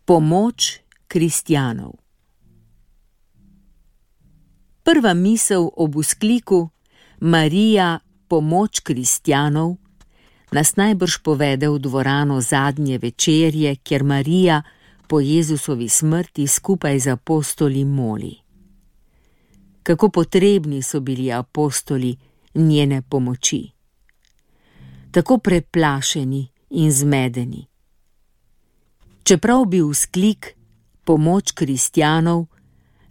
Pomoč kristjanov. Prva misel ob vzkliku Marija, pomoč kristjanov nas najbrž povede v dvorano zadnje večerje, kjer Marija po Jezusovi smrti skupaj z apostoli moli. Kako potrebni so bili apostoli njene pomoči. Tako preplašeni in zmedeni. Čeprav bi vzklik pomoč kristjanov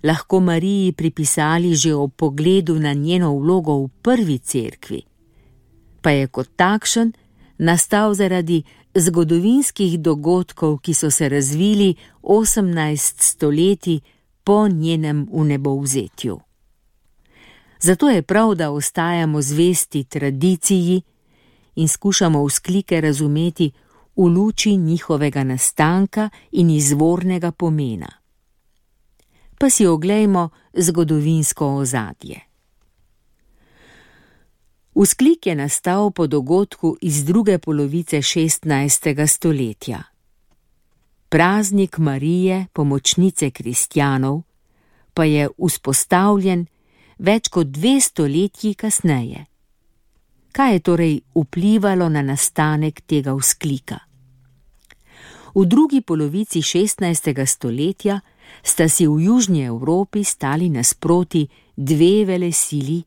lahko Mariji pripisali že ob pogledu na njeno vlogo v prvi cerkvi, pa je kot takšen nastal zaradi zgodovinskih dogodkov, ki so se razvili 18 stoletij po njenem vnebovzetju. Zato je prav, da ostajamo zvesti tradiciji in skušamo vzklike razumeti v luči njihovega nastanka in izvornega pomena. Pa si oglejmo zgodovinsko ozadje. Vzklik je nastal po dogodku iz druge polovice 16. stoletja. Praznik Marije, pomočnice kristjanov, pa je vzpostavljen več kot 2 stoletji kasneje. Kaj je torej vplivalo na nastanek tega vzklika? V drugi polovici 16. stoletja sta si v južni Evropi stali nasproti 2 velesili,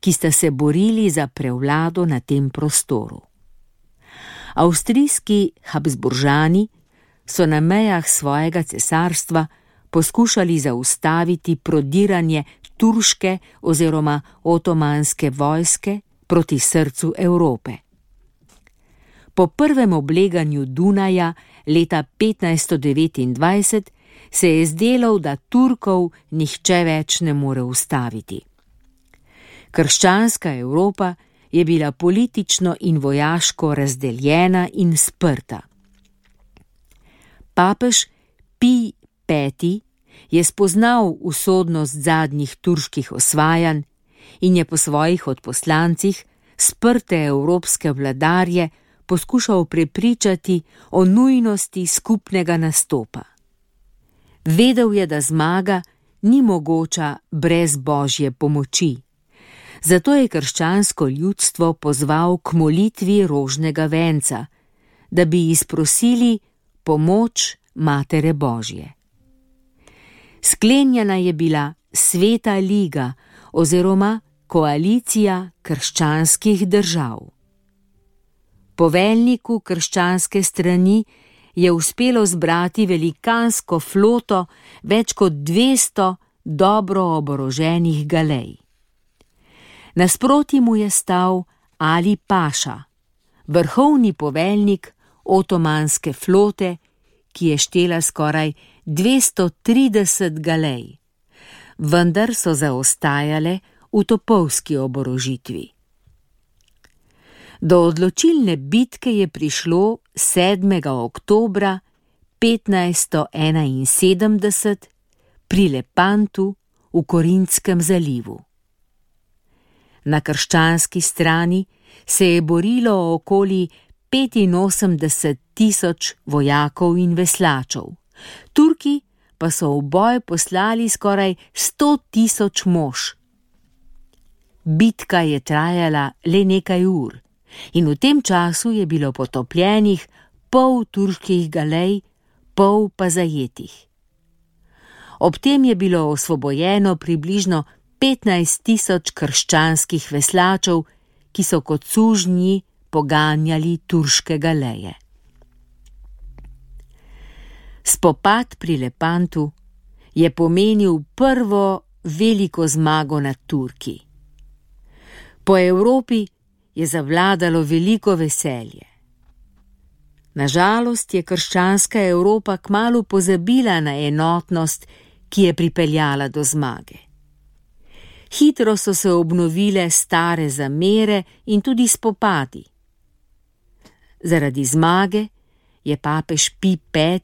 ki sta se borili za prevlado na tem prostoru. Avstrijski Habsburžani so na mejah svojega cesarstva poskušali zaustaviti prodiranje turške oziroma otomanske vojske proti srcu Evrope. Po prvem obleganju Dunaja leta 1529 se je zdelo, da Turkov nihče več ne more ustaviti. Krščanska Evropa je bila politično in vojaško razdeljena in sprta. Papež Pij V. je spoznal usodnost zadnjih turških osvajanj in je po svojih odposlancih sprte evropske vladarje poskušal prepričati o nujnosti skupnega nastopa. Vedel je, da zmaga ni mogoča brez Božje pomoči. Zato je krščansko ljudstvo pozval k molitvi rožnega venca, da bi izprosili pomoč Matere Božje. Sklenjena je bila Sveta liga oziroma koalicija krščanskih držav. Poveljniku krščanske strani je uspelo zbrati velikansko floto več kot 200 dobro oboroženih galej. Nasproti mu je stal Ali Paša, vrhovni poveljnik otomanske flote, ki je štela skoraj 230 galej, vendar so zaostajale v topovski oborožitvi. Do odločilne bitke je prišlo 7. oktobra 1571 pri Lepantu v Korintskem zalivu. Na krščanski strani se je borilo okoli 85,000 vojakov in veslačev, Turki pa so v boj poslali skoraj 100,000 mož. Bitka je trajala le nekaj ur in v tem času je bilo potopljenih pol turških galej, pol pa zajetih. Ob tem je bilo osvobojeno približno 15,000 krščanskih veslačev, ki so kot sužnji poganjali turške galeje. Spopad pri Lepantu je pomenil prvo veliko zmago nad Turki. Po Evropi je zavladalo veliko veselje. Nažalost je krščanska Evropa kmalu pozabila na enotnost, ki je pripeljala do zmage. Hitro so se obnovile stare zamere in tudi spopadi. Zaradi zmage je papež Pij V.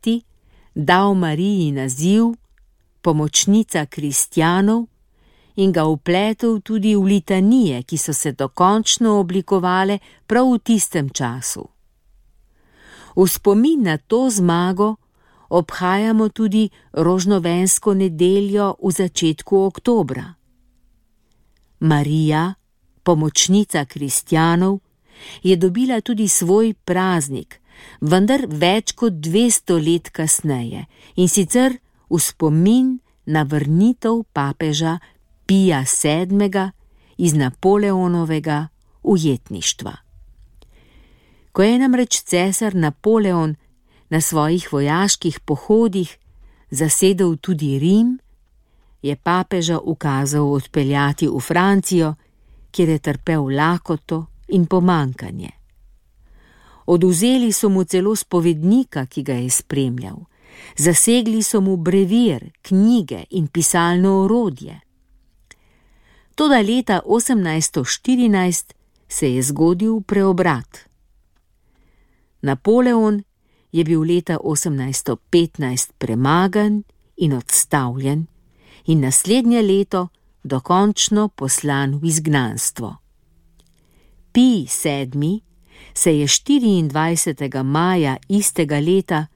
dal Mariji naziv pomočnica kristjanov in ga vpletel tudi v litanije, ki so se dokončno oblikovale prav v tistem času. V spomin na to zmago obhajamo tudi rožnovensko nedeljo v začetku oktobra. Marija, pomočnica kristjanov, je dobila tudi svoj praznik, vendar več kot 200 let kasneje, in sicer v spomin na vrnitev papeža Pija VII. Iz Napoleonovega ujetništva. Ko je namreč cesar Napoleon na svojih vojaških pohodih zasedel tudi Rim, je papeža ukazal odpeljati v Francijo, kjer je trpel lakoto in pomankanje. Odvzeli so mu celo spovednika, ki ga je spremljal, zasegli so mu brevir, knjige in pisalno orodje. Toda leta 1814 se je zgodil preobrat. Napoleon je bil leta 1815 premagan in odstavljen in naslednje leto dokončno poslan v izgnanstvo. Pij VII. Se je 24. maja istega leta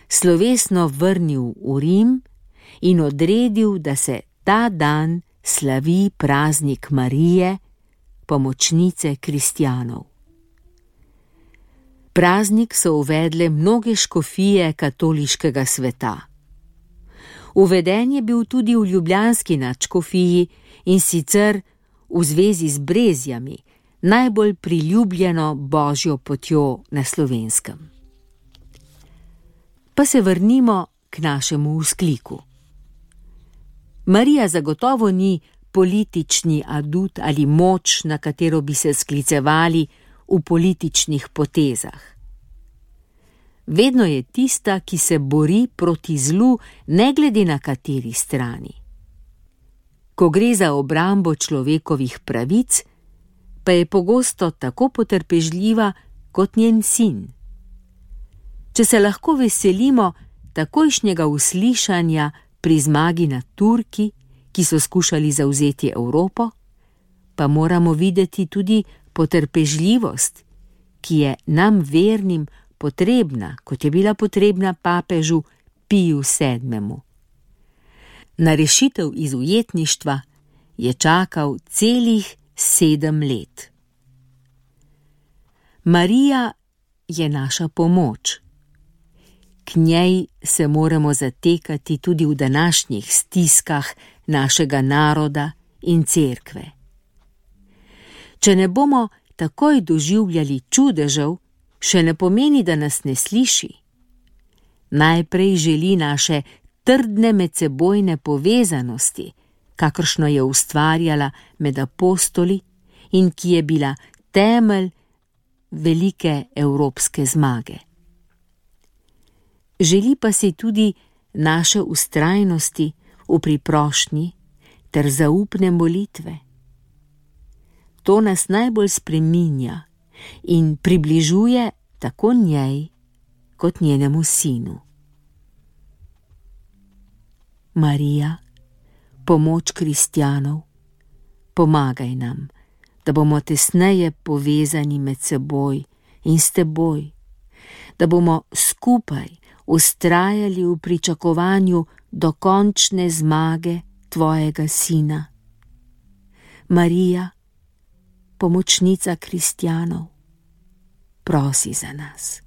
slovesno vrnil v Rim in odredil, da se ta dan slavi praznik Marije, pomočnice kristjanov. Praznik so uvedle mnoge škofije katoliškega sveta. Uveden je bil tudi v ljubljanski nadškofiji, in sicer v zvezi z Brezjami, najbolj priljubljeno božjo potjo na Slovenskem. Pa se vrnimo k našemu vzkliku. Marija zagotovo ni politični adut ali moč, na katero bi se sklicevali v političnih potezah. Vedno je tista, ki se bori proti zlu, ne glede na kateri strani. Ko gre za obrambo človekovih pravic, pa je pogosto tako potrpežljiva kot njen sin. Če se lahko veselimo takojšnjega uslišanja pri zmagi nad Turki, ki so skušali zavzeti Evropo, pa moramo videti tudi potrpežljivost, ki je nam vernim potrebna, kot je bila potrebna papežu Piju VII. Na rešitev iz ujetništva je čakal celih 7 let. Marija je naša pomoč. K njej se moramo zatekati tudi v današnjih stiskah našega naroda in cerkve. Če ne bomo takoj doživljali čudežev, še ne pomeni, da nas ne sliši. Najprej želi naše trdne medsebojne povezanosti, kakršno je ustvarjala med apostoli in ki je bila temelj velike evropske zmage. Želi pa si tudi naše vztrajnosti v priprošnji ter zaupne molitve. To nas najbolj spreminja in približuje tako njej kot njenemu sinu. Marija, pomoč kristjanov, pomagaj nam, da bomo tesneje povezani med seboj in s teboj, da bomo skupaj vztrajali v pričakovanju dokončne zmage tvojega sina. Marija, pomočnica kristjanov, prosi za nas.